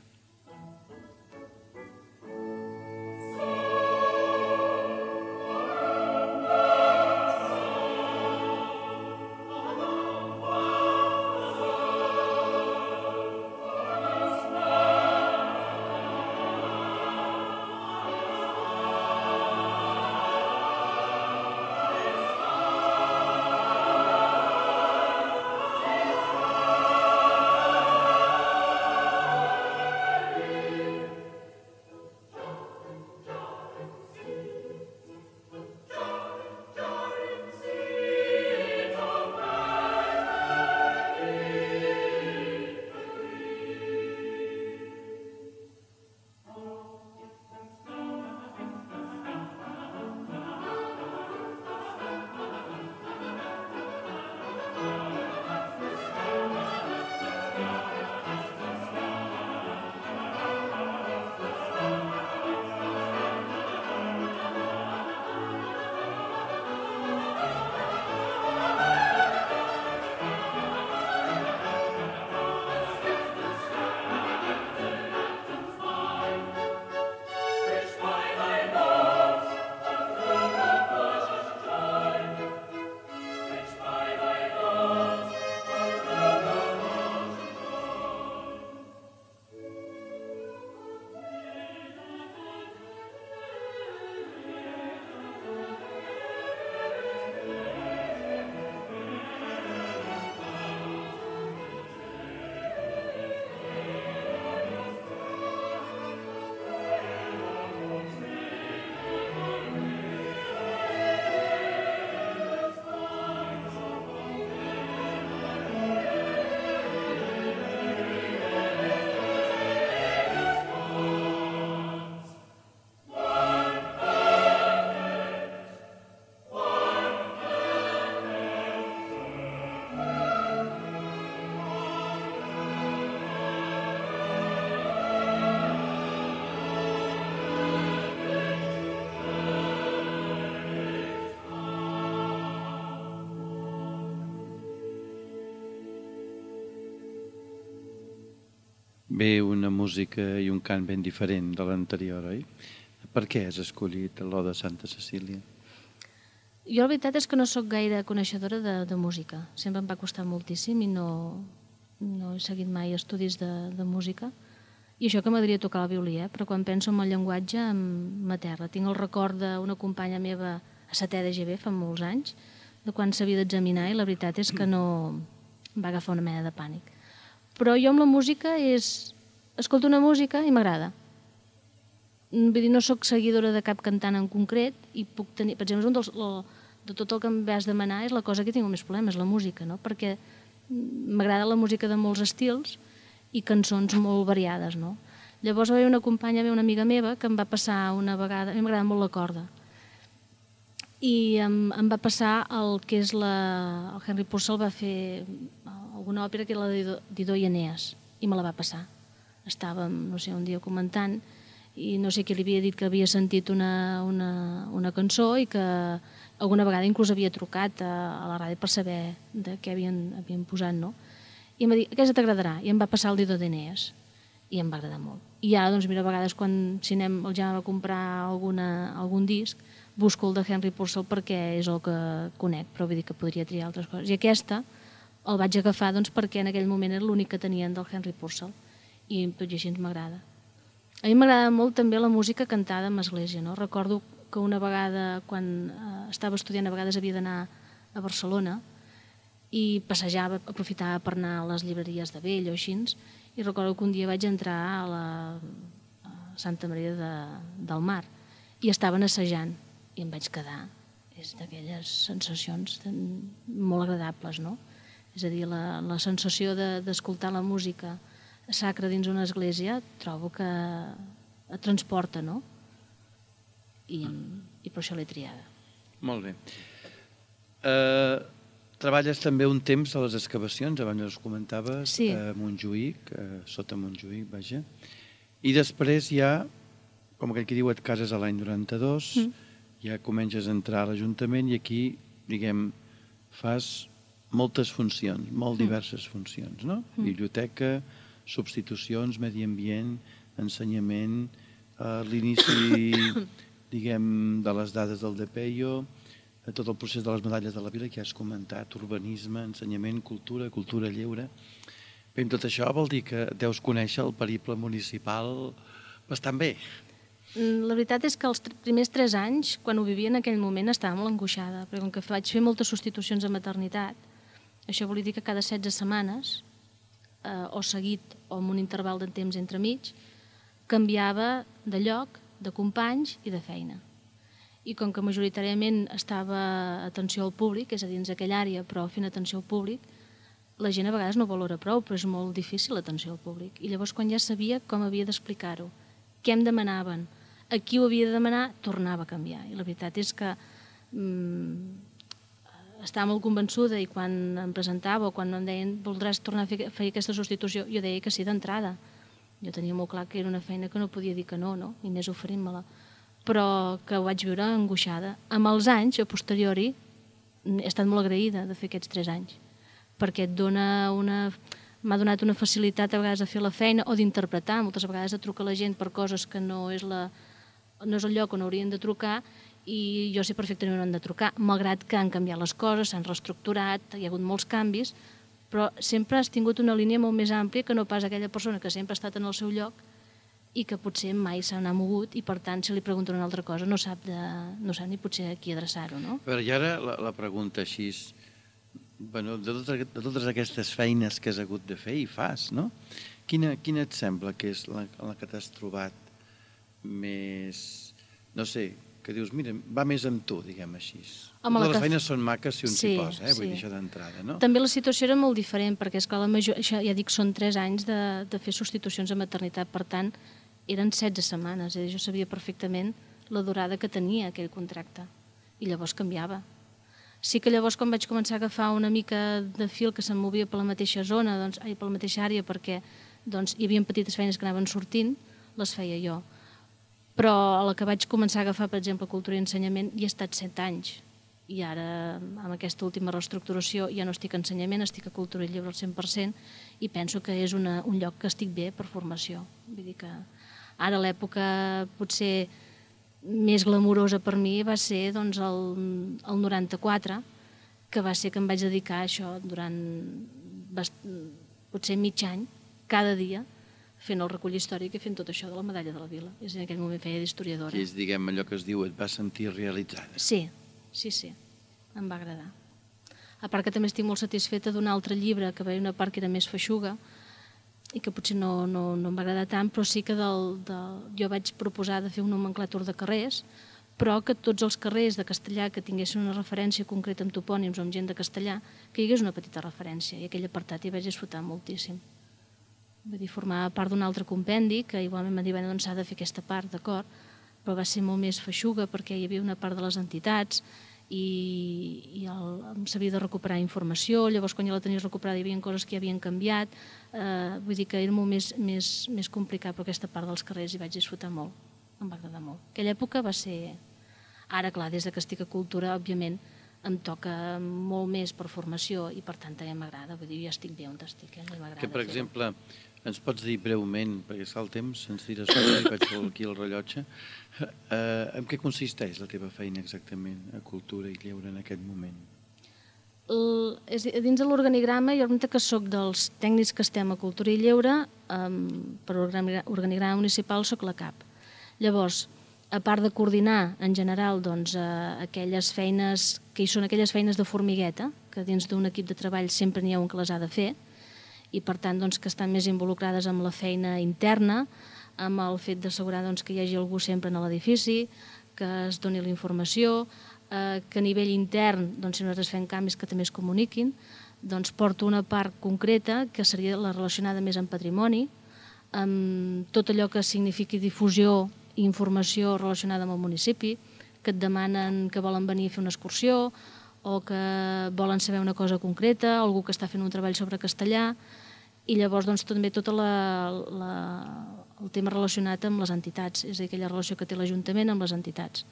Bé, una música i un cant ben diferent de l'anterior, oi? Per què has escollit l'Oda a Santa Cecília? Jo la veritat és que no sóc gaire coneixedora de música. Sempre em va costar moltíssim i no he seguit mai estudis de música. I això que m'agradaria tocar el violí, però quan penso en el llenguatge m'aterra. Tinc el record d'una companya meva a setè de GB fa molts anys, de quan s'havia d'examinar, i la veritat és que no em va agafar una mena de pànic. Però jo amb la música escolto una música i m'agrada. Vull dir, no sóc seguidora de cap cantant en concret i puc tenir, per exemple, de tot el que em vas demanar és la cosa que tinc més problemes, la música, no? Perquè m'agrada la música de molts estils i cançons molt variades, no? Llavors va haver una companya meva, una amiga meva, que em va passar una vegada, a mi m'agrada molt la corda, i em va passar el que és el Henry Purcell va fer alguna òpera que era la Dido i Enees, i me la va passar. Estàvem, no sé, un dia comentant i no sé qui li havia dit que havia sentit una cançó i que alguna vegada inclús havia trucat a la ràdio per saber de què havien posat, no? I em va dir, aquesta t'agradarà, i em va passar el Dido d'Enees i em va agradar molt. I ara, doncs, mira, a vegades quan si anem al Jaume a comprar algun disc, busco el de Henry Purcell perquè és el que conec, però vull dir que podria triar altres coses. I aquesta el vaig agafar doncs, perquè en aquell moment era l'únic que tenien del Henry Purcell i tot i així m'agrada. A mi m'agrada molt també la música cantada en església, no? Recordo que una vegada, quan estava estudiant, a vegades havia d'anar a Barcelona i passejava, aprofitava per anar a les llibreries de vell o així, i recordo que un dia vaig entrar a la Santa Maria del Mar i estaven assajant i em vaig quedar. És d'aquelles sensacions molt agradables, no? És a dir, la sensació d'escoltar la música sacra dins una església trobo que et transporta, no? I per això l'he triada. Molt bé. Treballes també un temps a les excavacions, abans us comentaves, sí, a Montjuïc, sota Montjuïc, vaja. I després ja, com aquell que diu, et cases a l'any 92 ja comences a entrar a l'Ajuntament i aquí, diguem, fas moltes funcions, molt diverses funcions, no? Biblioteca, substitucions, medi ambient, ensenyament, l'inici, diguem, de les dades del DPEIO, tot el procés de les medalles de la vila que ja has comentat, urbanisme, ensenyament, cultura, cultura lleure. Bé, tot això vol dir que deus conèixer el periple municipal bastant bé. La veritat és que els primers 3 anys, quan ho vivia en aquell moment, estava molt angoixada, perquè com que vaig fer moltes substitucions a maternitat, això volia dir que cada 16 setmanes, o seguit o amb un interval de temps entremig, canviava de lloc, de companys i de feina. I com que majoritàriament estava atenció al públic, és a dir, dins aquella àrea, però fent atenció al públic, la gent a vegades no valora prou, però és molt difícil l'atenció al públic. I llavors, quan ja sabia com havia d'explicar-ho, què em demanaven, a qui ho havia de demanar, tornava a canviar. I la veritat és que estava molt convençuda i quan em presentava o quan em deien voldràs tornar a fer aquesta substitució, jo deia que sí d'entrada. Jo tenia molt clar que era una feina que no podia dir que no, i més oferint-me-la. Però que ho vaig viure angoixada. Amb els anys, a posteriori, he estat molt agraïda de fer aquests 3 anys, perquè m'ha donat una facilitat a vegades de fer la feina o d'interpretar, moltes vegades de trucar a la gent per coses que no és el lloc on haurien de trucar i jo sé perfectament on han de trucar, malgrat que han canviat les coses, s'han reestructurat, hi ha hagut molts canvis, però sempre has tingut una línia molt més àmplia que no pas aquella persona que sempre ha estat en el seu lloc i que potser mai se n'ha mogut i, per tant, si li pregunten una altra cosa no sap ni potser a qui adreçar-ho, no? Però i ara la pregunta així, de totes aquestes feines que has hagut de fer i fas, no? Quina et sembla que és la que t'has trobat més, no sé, que dius, mira, va més amb tu, diguem així. Totes les feines són maques si un s'hi posa, vull dir això d'entrada, no? També la situació era molt diferent, perquè, esclar, ja dic, són 3 anys de fer substitucions a maternitat, per tant, eren 16 setmanes, jo sabia perfectament la durada que tenia aquell contracte, i llavors canviava. Sí que llavors, quan vaig començar a agafar una mica de fil que se'm movia per la mateixa zona, per la mateixa àrea, perquè hi havia petites feines que anaven sortint, les feia jo. Però a la que vaig començar a agafar, per exemple, cultura i ensenyament, hi he estat 7 anys. I ara, amb aquesta última reestructuració, ja no estic a ensenyament, estic a cultura i lleure al 100%, i penso que és un lloc que estic bé per formació. Vull dir que ara l'època potser més glamurosa per mi va ser el 94, que va ser que em vaig dedicar a això durant potser mig any, cada dia, fent el recull històric i fent tot això de la medalla de la vila. És en aquell moment feia d'historiadora. I és, diguem, allò que es diu, et vas sentir realitzada. Sí, em va agradar. A part que també estic molt satisfeta d'un altre llibre, que va haver una part que era més feixuga, i que potser no em va agradar tant, però sí que jo vaig proposar de fer un nomenclàtor de carrers, però que tots els carrers de castellà que tinguessin una referència concreta amb topònims o amb gent de castellà, que hi hagués una petita referència, i aquell apartat hi vaig disfrutar moltíssim. Vull dir, formava part d'un altre compendi, que igualment m'ha dit, doncs s'ha de fer aquesta part, d'acord, però va ser molt més feixuga perquè hi havia una part de les entitats i s'havia de recuperar informació, llavors quan ja la tenies recuperada hi havia coses que ja havien canviat, vull dir que era molt més complicat, però aquesta part dels carrers hi vaig disfrutar molt, em va agradar molt. Aquella època va ser... Ara, clar, des que estic a cultura, òbviament, em toca molt més per formació i per tant també m'agrada, vull dir, ja estic bé on estic, m'agrada fer-ho. Que, per exemple, ens pots dir breument, perquè és el temps, ens tira sobre i vaig aquí al rellotge, en què consisteix la teva feina exactament a Cultura i Lleure en aquest moment? Dins de l'organigrama, jo represento que soc dels tècnics que estem a Cultura i Lleure, per organigrama municipal soc la cap. Llavors, a part de coordinar en general aquelles feines, que hi són aquelles feines de formigueta, que dins d'un equip de treball sempre n'hi ha un que les ha de fer, i per tant que estan més involucrades amb la feina interna, amb el fet d'assegurar que hi hagi algú sempre en l'edifici, que es doni la informació, que a nivell intern, si nosaltres fem canvis que també es comuniquin, porto una part concreta que seria la relacionada més amb patrimoni, amb tot allò que signifiqui difusió i informació relacionada amb el municipi, que et demanen que volen venir a fer una excursió o que volen saber una cosa concreta, algú que està fent un treball sobre castellà, i llavors també tot el tema relacionat amb les entitats, és a dir, aquella relació que té l'Ajuntament amb les entitats,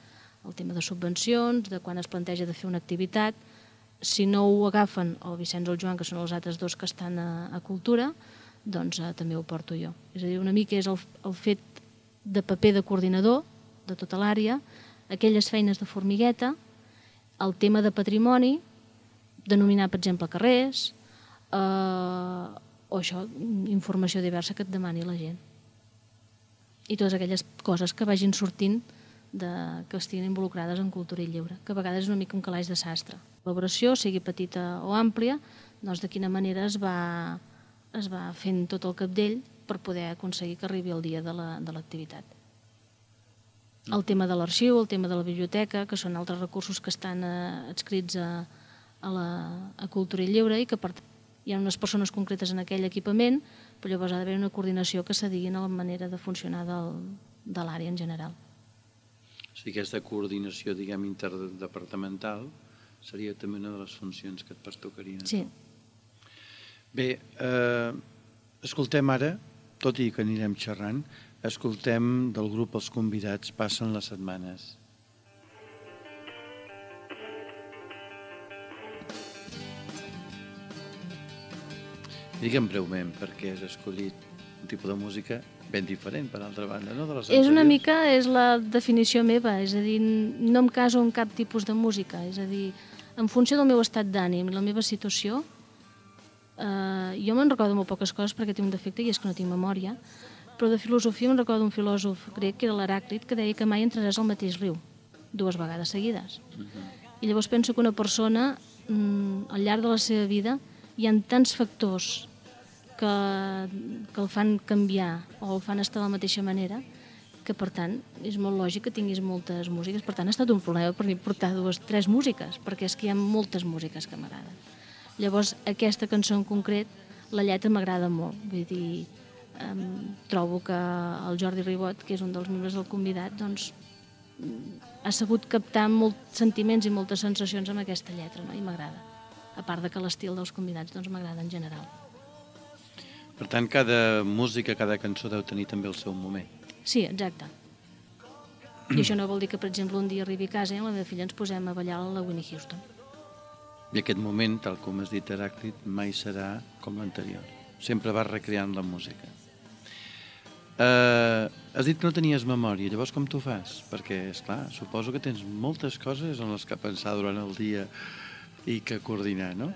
el tema de subvencions, de quan es planteja de fer una activitat. Si no ho agafen el Vicenç o el Joan, que són els altres dos que estan a Cultura, doncs també ho porto jo. És a dir, una mica és el fet de paper de coordinador de tota l'àrea, aquelles feines de formigueta, el tema de patrimoni, denominar, per exemple, carrers, o això, informació diversa que et demani la gent. I totes aquelles coses que vagin sortint que estiguin involucrades en cultura i lleure, que a vegades és una mica un calaix de sastre. La col·laboració, sigui petita o àmplia, doncs de quina manera es va fent tot el capdell per poder aconseguir que arribi el dia de l'activitat. El tema de l'arxiu, el tema de la biblioteca, que són altres recursos que estan adscrits a cultura i lleure i que hi ha unes persones concretes en aquell equipament, però llavors ha d'haver una coordinació que s'adigui a la manera de funcionar de l'àrea en general. O sigui, aquesta coordinació, diguem, interdepartamental seria també una de les funcions que et pertocarien. Sí. Bé, escoltem ara, tot i que anirem xerrant, escoltem del grup Els Convidats Passen les setmanes. Digue'm breument perquè has escollit un tipus de música ben diferent, per altra banda, no? És una mica, és la definició meva, és a dir, no em caso en cap tipus de música, és a dir, en funció del meu estat d'ànim i la meva situació, jo me'n recordo molt poques coses perquè tinc un defecte i és que no tinc memòria, però de filosofia me'n recordo un filòsof grec que era l'Heràclit, que deia que mai entraràs al mateix riu, 2 vegades seguides. I llavors penso que una persona, al llarg de la seva vida, hi ha tants factors que el fan canviar o el fan estar de la mateixa manera, que per tant és molt lògic que tinguis moltes músiques. Per tant ha estat un problema per mi portar 2 o 3 músiques, perquè és que hi ha moltes músiques que m'agraden. Llavors aquesta cançó en concret, la lletra m'agrada molt, vull dir, trobo que el Jordi Ribot, que és un dels membres del Convidat, doncs ha sabut captar molts sentiments i moltes sensacions amb aquesta lletra, no? I m'agrada. A part de que l'estil dels Convidats doncs m'agrada en general. Per tant, cada música, cada cançó deu tenir també el seu moment. Sí, exacte. I això no vol dir que, per exemple, un dia arribi a casa i amb la meva filla ens posem a ballar la Whitney Houston. I aquest moment, tal com has dit, Heràclit, mai serà com l'anterior. Sempre vas recreant la música. Has dit que no tenies memòria, llavors com t'ho fas? Perquè, esclar, suposo que tens moltes coses en les que pensar durant el dia i que coordinar, no?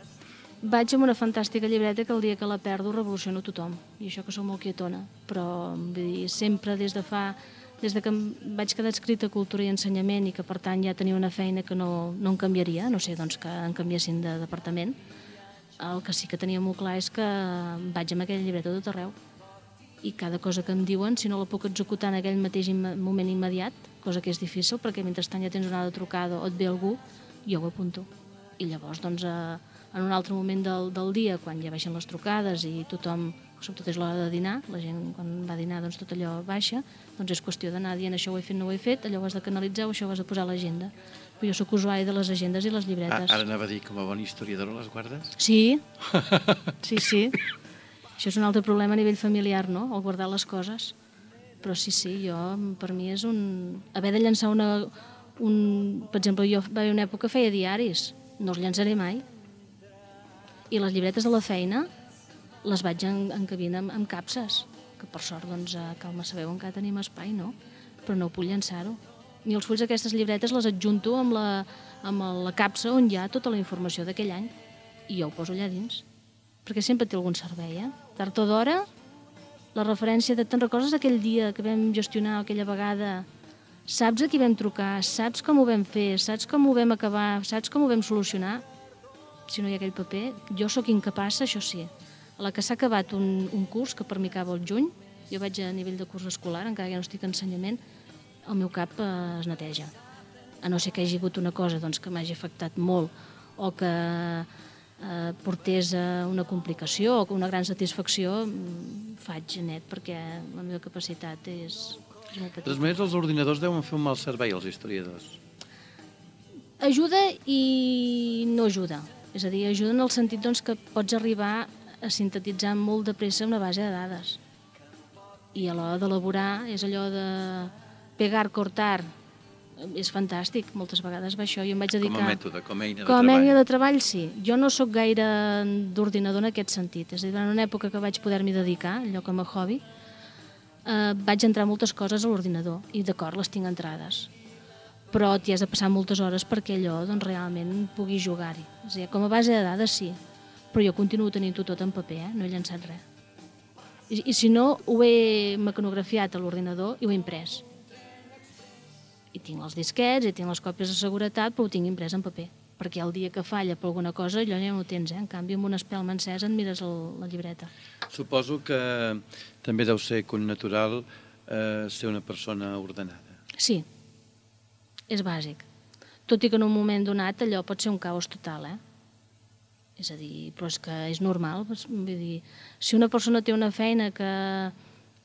Vaig amb una fantàstica llibreta que el dia que la perdo revoluciono tothom. I això que soc molt quietona. Però, vull dir, sempre des de que em vaig quedar adscrita a Cultura i Ensenyament i que, per tant, ja tenia una feina que no em canviaria, no sé, doncs que em canviessin de departament, el que sí que tenia molt clar és que vaig amb aquella llibreta tot arreu. I cada cosa que em diuen, si no la puc executar en aquell mateix moment immediat, cosa que és difícil, perquè mentrestant ja tens una altra trucada o et ve algú, jo ho apunto. I llavors, doncs, en un altre moment del dia, quan ja baixen les trucades i tothom, sobretot és l'hora de dinar, la gent quan va a dinar doncs tot allò baixa, doncs és qüestió d'anar dient això ho he fet, no ho he fet, allò ho has de canalitzar o això ho has de posar a l'agenda. Però jo soc usuari de les agendes i les llibretes. Ara anava a dir, com a bona historiadora les guardes? Sí, sí. Això és un altre problema a nivell familiar, no?, el guardar les coses. Però sí, per mi és haver de llançar per exemple, jo va haver una època que feia diaris, no els llançaré mai. I les llibretes de la feina les vaig encabint amb capses, que per sort, doncs, a Cal Massaveu encara tenim espai, no? Però no puc llançar-ho. Ni els fulls d'aquestes llibretes les adjunto amb la capsa on hi ha tota la informació d'aquell any i jo ho poso allà dins, perquè sempre té algun servei, Tard o d'hora, la referència de te'n recordes aquell dia que vam gestionar aquella vegada, saps a qui vam trucar, saps com ho vam fer, saps com ho vam acabar, saps com ho vam solucionar? Si no hi ha aquell paper, jo sóc incapaç, això sí. A la que s'ha acabat un curs, que per mi acaba el juny, jo vaig a nivell de curs escolar, encara que ja no estic en ensenyament, el meu cap es neteja. A no ser que hi hagi hagut una cosa doncs, que m'hagi afectat molt o que portés a una complicació o una gran satisfacció, faig net perquè la meva capacitat és molt petita. De totes maneres, els ordinadors deuen fer un mal servei als historiadors. Ajuda i no ajuda. És a dir, ajuda en el sentit doncs, que pots arribar a sintetitzar molt de pressa una base de dades. I a l'hora d'elaborar és allò de pegar, cortar és fantàstic, moltes vegades va això. Jo em vaig dedicar... Com a mètode, com a eina de Com a treball. eina de treball, sí. Jo no sóc gaire d'ordinador en aquest sentit. És a dir, en una època que vaig poder-m'hi dedicar, allò com a hobby, vaig entrar moltes coses a l'ordinador i d'acord, les tinc entrades. Però t'hi has de passar moltes hores perquè allò doncs, realment puguis jugar-hi. És a dir, com a base de dades sí, però jo continuo tenint-ho tot en paper, no he llançat res. I si no, ho he mecanografiat a l'ordinador i ho he imprès. I tinc els disquets, i tinc les còpies de seguretat, però ho tinc imprès en paper. Perquè el dia que falla per alguna cosa, allò ja no ho tens, En canvi, amb una espelma encesa et mires la llibreta. Suposo que també deu ser connatural ser una persona ordenada. Sí, és bàsic. Tot i que en un moment donat allò pot ser un caos total, És a dir, però és que és normal. Vull dir, si una persona té una feina que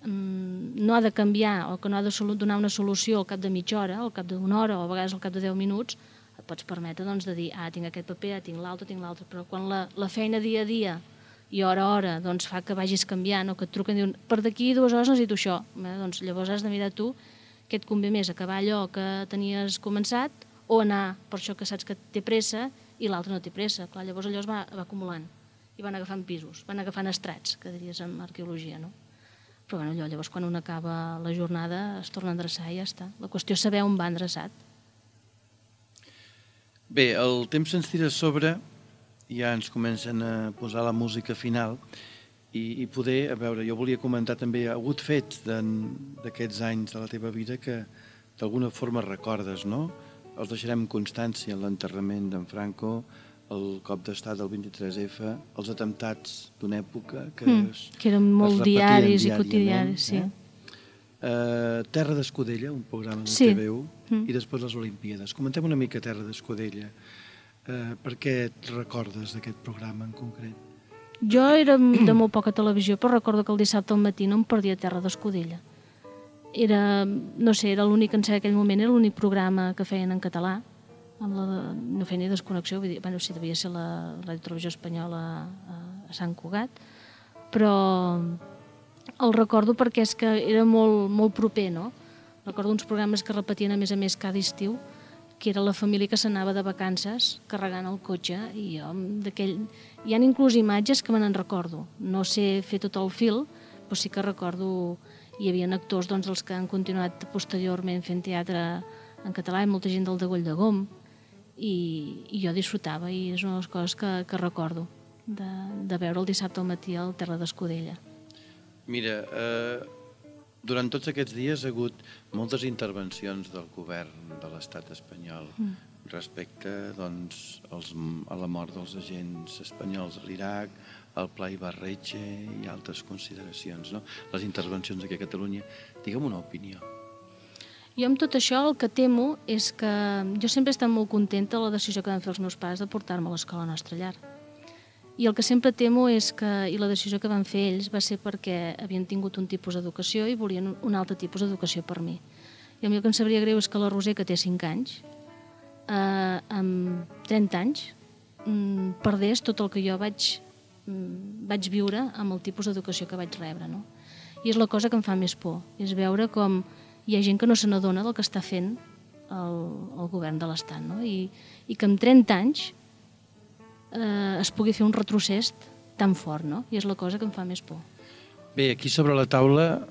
no ha de canviar o que no ha de donar una solució al cap de mitja hora, al cap d'una hora o a vegades al cap de 10 minuts, et pots permetre doncs, de dir, tinc aquest paper, tinc l'altre, però quan la feina dia a dia i hora a hora doncs, fa que vagis canviant o que et truquen i diuen, per d'aquí 2 hores necessito això, doncs llavors has de mirar tu què et convé més, acabar allò que tenies començat o anar per això que saps que té pressa i l'altre no té pressa. Clar, llavors allò es va acumulant i van agafant pisos, van agafant estrats, que diries en arqueologia, no? Però bueno, llavors quan un acaba la jornada es torna a endreçar i ja està. La qüestió és saber on va endreçat. Bé, el temps se'ns tira a sobre, ja ens comencen a posar la música final i poder, a veure, jo volia comentar també, hi ha hagut fets d'aquests anys de la teva vida que d'alguna forma recordes, no? Els deixarem constància en l'enterrament d'en Franco, el cop d'estat del 23F, els atemptats d'una època que eren molt diaris i quotidianis, sí. Terra d'Escudella, un programa de TVU, i després les Olimpíades. Comentem una mica Terra d'Escudella. Per què et recordes d'aquest programa en concret? Jo era de molt poca televisió, però recordo que el dissabte al matí no em perdia Terra d'Escudella. Era, no sé, era l'únic, en aquell moment, era l'únic programa que feien en català, no feia ni desconnexió, vull dir, bueno, sí, devia ser la Ràdio Televisió Espanyola a Sant Cugat, però el recordo perquè és que era molt proper, no? Recordo uns programes que repetien a més cada estiu, que era la família que s'anava de vacances carregant el cotxe i jo hi ha inclús imatges que me n'en recordo. No sé fer tot el fil, però sí que recordo hi havia actors doncs, els que han continuat posteriorment fent teatre en català i molta gent del Degoll de Gom i jo disfrutava i és una de les coses que recordo de veure el dissabte al matí al Terra d'Escudella. Mira, durant tots aquests dies ha hagut moltes intervencions del govern de l'estat espanyol respecte doncs, a la mort dels agents espanyols a l'Iraq, al Pla Ibarretxe i altres consideracions, no? Les intervencions aquí a Catalunya. Digue'm una opinió. Jo amb tot això el que temo és que jo sempre he estat molt contenta de la decisió que van fer els meus pares de portar-me a l'escola a Nostra Llar. I el que sempre temo és que, i la decisió que van fer ells va ser perquè havien tingut un tipus d'educació i volien un altre tipus d'educació per mi. I a mi el que em sabria greu és que la Roser, que té 5 anys, amb 30 anys, perdés tot el que jo vaig viure amb el tipus d'educació que vaig rebre. No? I és la cosa que em fa més por, és veure com hi ha gent que no se n'adona del que està fent el govern de l'Estat, no? I que amb 30 anys es pugui fer un retrocés tan fort, no? I és la cosa que em fa més por. Bé, aquí sobre la taula,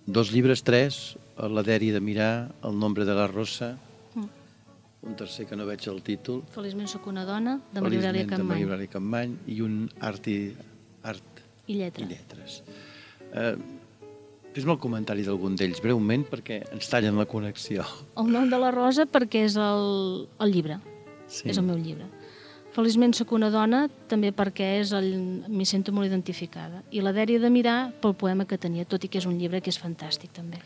2 llibres, 3, la Dèria de Mirar, El nombre de la rosa, un tercer que no veig el títol. Feliçment sóc una dona, de Maria Aurèlia Capmany. De Maria Capmany, i un Art i Lletres. Fes-me el comentari d'algun d'ells, breument, perquè ens tallen la connexió. El nom de la rosa perquè és el llibre, és el meu llibre. Feliçment sóc una dona, també perquè m'hi sento molt identificada. I la Dèria de Mirar pel poema que tenia, tot i que és un llibre que és fantàstic també.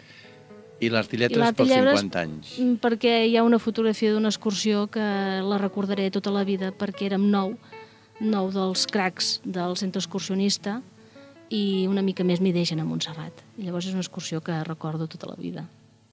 I l'Art i Lletres pels 50 anys. Perquè hi ha una fotografia d'una excursió que la recordaré tota la vida perquè érem 9 dels cracs del centre excursionista i una mica més m'hi deixen a Montserrat. I llavors és una excursió que recordo tota la vida.